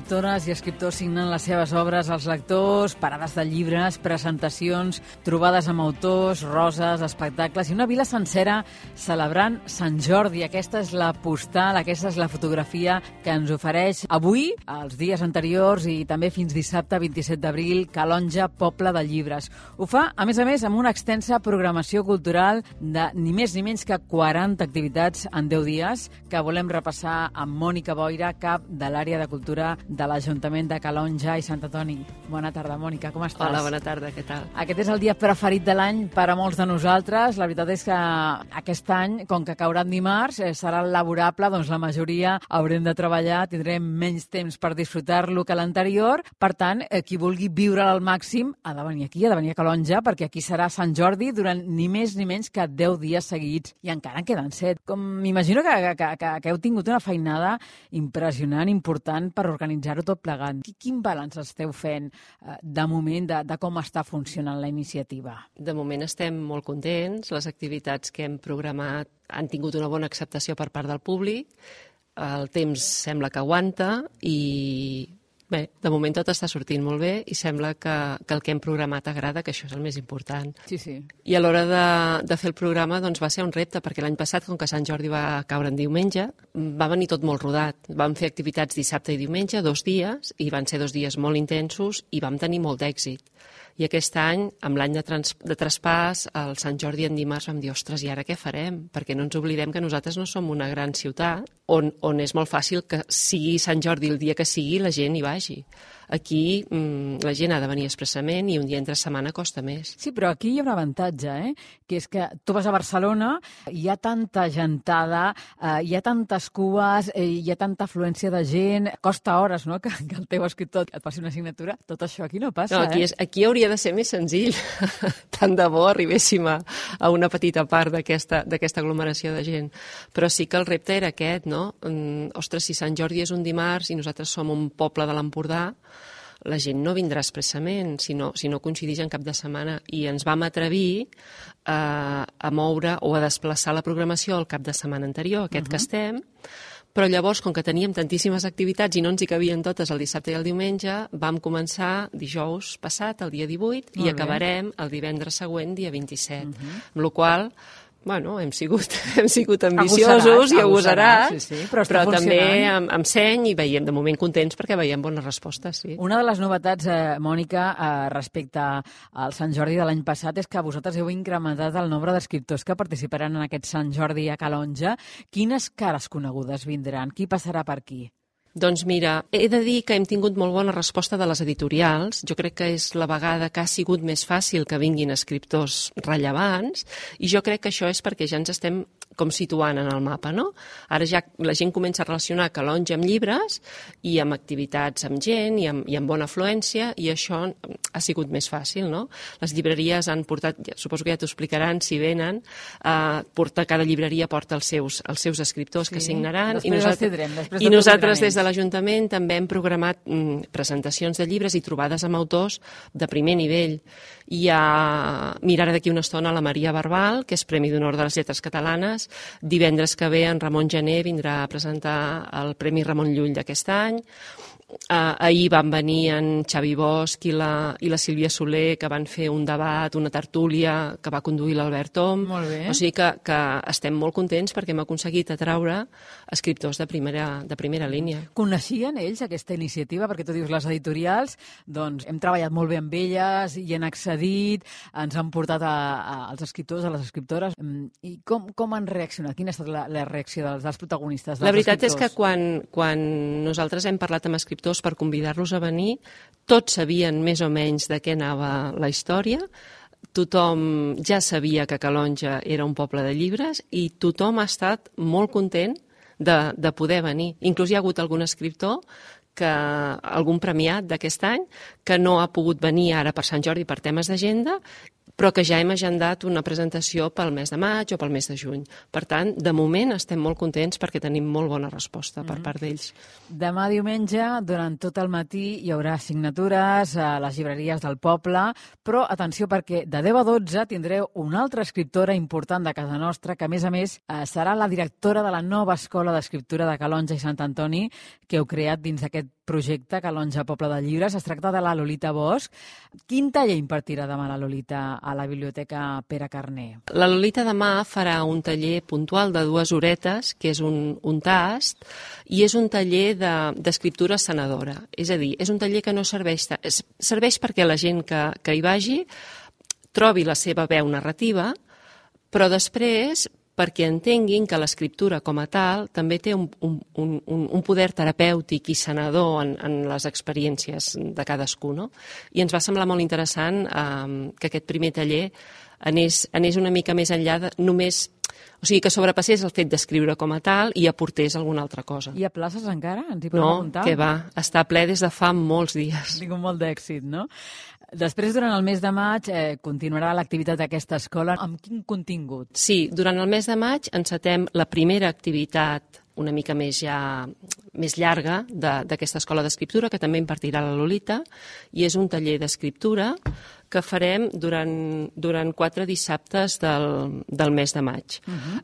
escriptores i escriptors signen les seves obres als lectors, parades de llibres, presentacions, trobades amb autors, roses, espectacles i una vila sencera celebrant Sant Jordi. Aquesta és la postal, aquesta és la fotografia que ens ofereix avui, els dies anteriors i també fins dissabte 27 d'abril, Calonge, poble de llibres. Ho fa, a més, amb una extensa programació cultural de ni més ni menys que 40 activitats en 10 dies que volem repassar amb Mònica Boira, cap de l'àrea de cultura de l'Ajuntament de Calonge i Sant Antoni. Bona tarda, Mònica, com estàs? Hola, bona tarda, què tal? Aquest és el dia preferit de l'any per a molts de nosaltres. La veritat és que aquest any, com que caurà en dimarts, serà laborable, doncs la majoria haurem de treballar, tindrem menys temps per disfrutar-lo que l'anterior. Per tant, qui vulgui viure'l al màxim ha de venir aquí, ha de venir a Calonge, perquè aquí serà Sant Jordi durant ni més ni menys que 10 dies seguits. I encara en queden 7. M'imagino que heu tingut una feinada impressionant, important per organitzar-ho tot plegant. Quin balanç esteu fent de moment de com està funcionant la iniciativa? De moment estem molt contents. Les activitats que hem programat han tingut una bona acceptació per part del públic. El temps sembla que aguanta i bé, de moment tot està sortint molt bé i sembla que el que hem programat agrada, que això és el més important. Sí. I a l'hora de fer el programa doncs, va ser un repte, perquè l'any passat, com que Sant Jordi va caure en diumenge, va venir tot molt rodat. Vam fer activitats dissabte i diumenge, 2 dies, i van ser 2 dies molt intensos i vam tenir molt d'èxit. I aquest any, amb l'any de traspàs, el Sant Jordi en dimarts vam dir, ostres, i ara què farem? Perquè no ens oblidem que nosaltres no som una gran ciutat on és molt fàcil que sigui Sant Jordi el dia que sigui la gent hi vagi. Aquí la gent ha de venir expressament i un dia entre setmana costa més. Sí, però aquí hi ha un avantatge, que és que tu vas a Barcelona, hi ha tanta gentada, hi ha tantes cues, hi ha tanta afluència de gent, costa hores, no?, que el teu escriptor et passi una assignatura. Tot això aquí no passa, no, aquí hauria de ser més senzill. Tant de bo arribéssim a una petita part d'aquesta aglomeració de gent. Però sí que el repte era aquest, no? Ostres, si Sant Jordi és un dimarts i nosaltres som un poble de l'Empordà, la gent no vindrà expressament si no coincideix en cap de setmana, i ens vam atrevir a moure o a desplaçar la programació al cap de setmana anterior, aquest que estem, però llavors, com que teníem tantíssimes activitats i no ens hi cabien totes el dissabte i el diumenge, vam començar dijous passat, el dia 18, i acabarem el divendres següent, dia 27, amb la qual cosa, bueno, hem sigut ambiciosos i agosarats, sí, però també amb seny, i veiem de moment contents perquè veiem bones respostes. Sí. Una de les novetats, Mònica, respecte al Sant Jordi de l'any passat és que vosaltres heu incrementat el nombre d'escriptors que participaran en aquest Sant Jordi a Calonge. Quines cares conegudes vindran? Qui passarà per aquí? Doncs mira, he de dir que hem tingut molt bona resposta de les editorials. Jo crec que és la vegada que ha sigut més fàcil que vinguin escriptors rellevants, i jo crec que això és perquè ja ens estem com situant en el mapa, no? Ara ja la gent comença a relacionar Calonge amb llibres i amb activitats amb gent i amb bona afluència, i això ha sigut més fàcil, no? Les llibreries han portat, suposo que ja t'ho explicaran si venen, cada llibreria porta els seus escriptors que signaran, i nosaltres des de l'Ajuntament també hem programat presentacions de llibres i trobades amb autors de primer nivell. Hi ha, mira, ara d'aquí una estona, la Maria Barbal, que és Premi d'Honor de les Lletres Catalanes. Divendres que ve en Ramon Gené vindrà a presentar el Premi Ramon Llull d'aquest any. Ahir van venir en Xavi Bosch i la Sílvia Soler, que van fer un debat, una tertúlia que va conduir l'Albert Tom. Molt bé. O sigui que estem molt contents perquè hem aconseguit atraure escriptors de primera línia. Coneixien ells aquesta iniciativa? Perquè tu dius, les editorials, doncs hem treballat molt bé amb elles i han accedit, ens han portat als escriptors, a les escriptores. I com han reaccionat? Quina ha estat la reacció dels protagonistes, dels escriptors? La veritat és que quan nosaltres hem parlat amb escriptors per convidar-los a venir, tots sabien més o menys de què anava la història, tothom ja sabia que Calonge era un poble de llibres i tothom ha estat molt content de poder venir. Inclús hi ha hagut algun escriptor, algun premiat d'aquest any, que no ha pogut venir ara per Sant Jordi per temes d'agenda, però que ja hem agendat una presentació pel mes de maig o pel mes de juny. Per tant, de moment estem molt contents perquè tenim molt bona resposta per part d'ells. Demà diumenge, durant tot el matí, hi haurà signatures a les llibreries del poble, però atenció perquè de 10 a 12 tindreu una altra escriptora important de casa nostra, que a més serà la directora de la nova escola d'escriptura de Calonge i Sant Antoni, que heu creat dins d'aquest projecte Calonja Poble de Llibres. Es tracta de la Lolita Bosch. Quin taller impartirà demà la Lolita a la Biblioteca Pere Carner? La Lolita demà farà un taller puntual de 2 horetes, que és un tast, i és un taller d'escriptura sanadora. És a dir, és un taller que no serveix perquè la gent que hi vagi trobi la seva veu narrativa, però després perquè entenguin que l'escriptura com a tal també té un poder terapèutic i sanador en les experiències de cadascú, no? I ens va semblar molt interessant que aquest primer taller anés una mica més enllà de només... O sigui, que sobrepassés el fet d'escriure com a tal i aportés alguna altra cosa. Hi ha places encara? Ens hi podem apuntar? No, que va. Està ple des de fa molts dies. Ha tingut molt d'èxit, no? Després, durant el mes de maig, continuarà l'activitat d'aquesta escola. Amb quin contingut? Sí, durant el mes de maig encetem la primera activitat una mica més llarga d'aquesta escola d'escriptura, que també impartirà la Lolita, i és un taller d'escriptura que farem durant 4 dissabtes del mes de maig.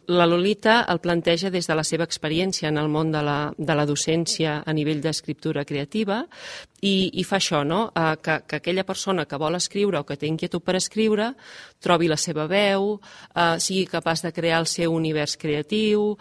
La Lolita el planteja des de la seva experiència en el món de la docència a nivell d'escriptura creativa i fa això, no? Que aquella persona que vol escriure o que té inquietud per escriure trobi la seva veu, sigui capaç de crear el seu univers creatiu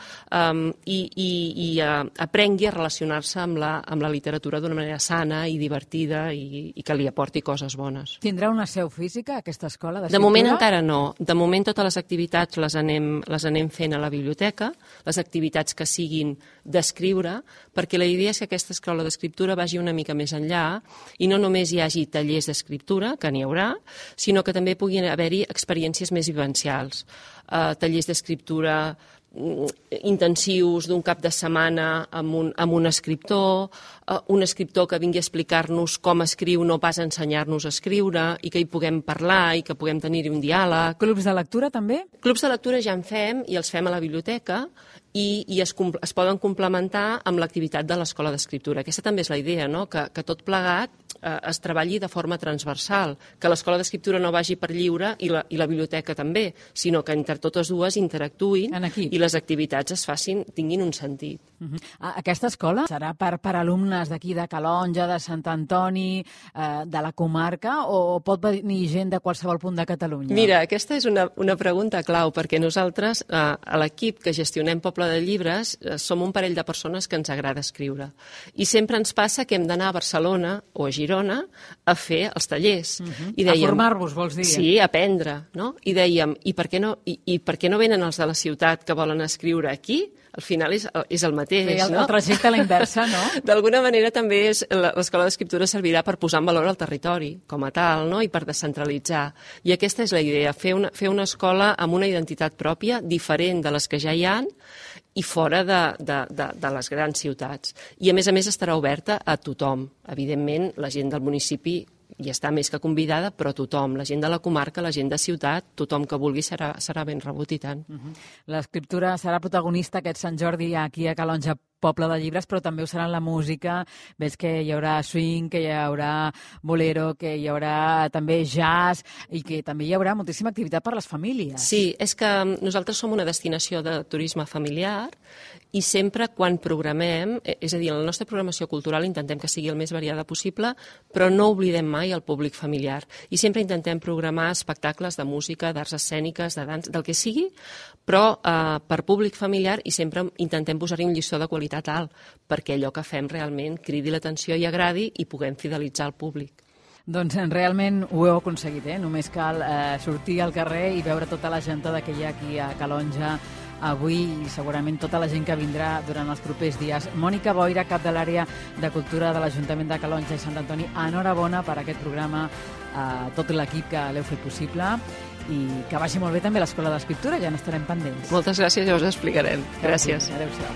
i aprengui a relacionar-se amb la literatura d'una manera sana i divertida i que li aporti coses bones. Tindrà una seu física, aquesta escola d'escriptura? De moment encara no. De moment totes les activitats les anem fent a la biblioteca, les activitats que siguin d'escriure, perquè la idea és que aquesta escola d'escriptura vagi una mica més enllà i no només hi hagi tallers d'escriptura, que n'hi haurà, sinó que també puguin haver-hi experiències més vivencials. Tallers d'escriptura intensius d'un cap de setmana amb un escriptor que vingui a explicar-nos com escriu, no pas a ensenyar-nos a escriure, i que hi puguem parlar i que puguem tenir-hi un diàleg. Clubs de lectura també? Clubs de lectura ja en fem i els fem a la biblioteca i es poden complementar amb l'activitat de l'escola d'escriptura. Aquesta també és la idea, no? Que tot plegat es treballi de forma transversal, que l'escola d'escriptura no vagi per lliure i la biblioteca també, sinó que entre totes dues interactuïn i les activitats tinguin un sentit. Aquesta escola serà per alumnes d'aquí, de Calonja, de Sant Antoni, de la comarca, o pot venir gent de qualsevol punt de Catalunya? Mira, aquesta és una pregunta clau, perquè nosaltres, a l'equip que gestionem Poble de Llibres, som un parell de persones que ens agrada escriure. I sempre ens passa que hem d'anar a Barcelona o a Girona a fer els tallers. A formar-vos, vols dir? Sí, a aprendre, no? I dèiem, i per què no venen els de la ciutat que volen escriure aquí? Al final és el mateix, no? El trajecte a la inversa, no? D'alguna manera també l'escola d'escriptura servirà per posar en valor el territori com a tal, no? I per descentralitzar. I aquesta és la idea, fer una escola amb una identitat pròpia, diferent de les que ja hi ha, i fora de les grans ciutats. I a més estarà oberta a tothom. Evidentment, la gent del municipi i està més que convidada, però tothom, la gent de la comarca, la gent de ciutat, tothom que vulgui serà ben rebut i tant. L'escriptura serà protagonista aquest Sant Jordi aquí a Calonja Poble de Llibres, però també ho serà en la música. Veig que hi haurà swing, que hi haurà bolero, que hi haurà també jazz i que també hi haurà moltíssima activitat per a les famílies. Sí, és que nosaltres som una destinació de turisme familiar i sempre quan programem, és a dir, en la nostra programació cultural intentem que sigui el més variada possible, però no oblidem mai el públic familiar. I sempre intentem programar espectacles de música, d'arts escèniques, de dansa, del que sigui, però per públic familiar, i sempre intentem posar-hi un llistó de qualitat alt, perquè allò que fem realment cridi l'atenció i agradi i puguem fidelitzar el públic. Doncs realment ho heu aconseguit, Només cal sortir al carrer i veure tota la gentada que hi ha aquí a Calonja avui i segurament tota la gent que vindrà durant els propers dies. Mònica Boira, cap de l'àrea de cultura de l'Ajuntament de Calonja i Sant Antoni, enhorabona per aquest programa, tot l'equip que l'heu fet possible, i que vagi molt bé també l'Escola d'Escriptura, ja n'estarem pendents. Moltes gràcies, ja us explicarem. Gràcies. Adéu-siau.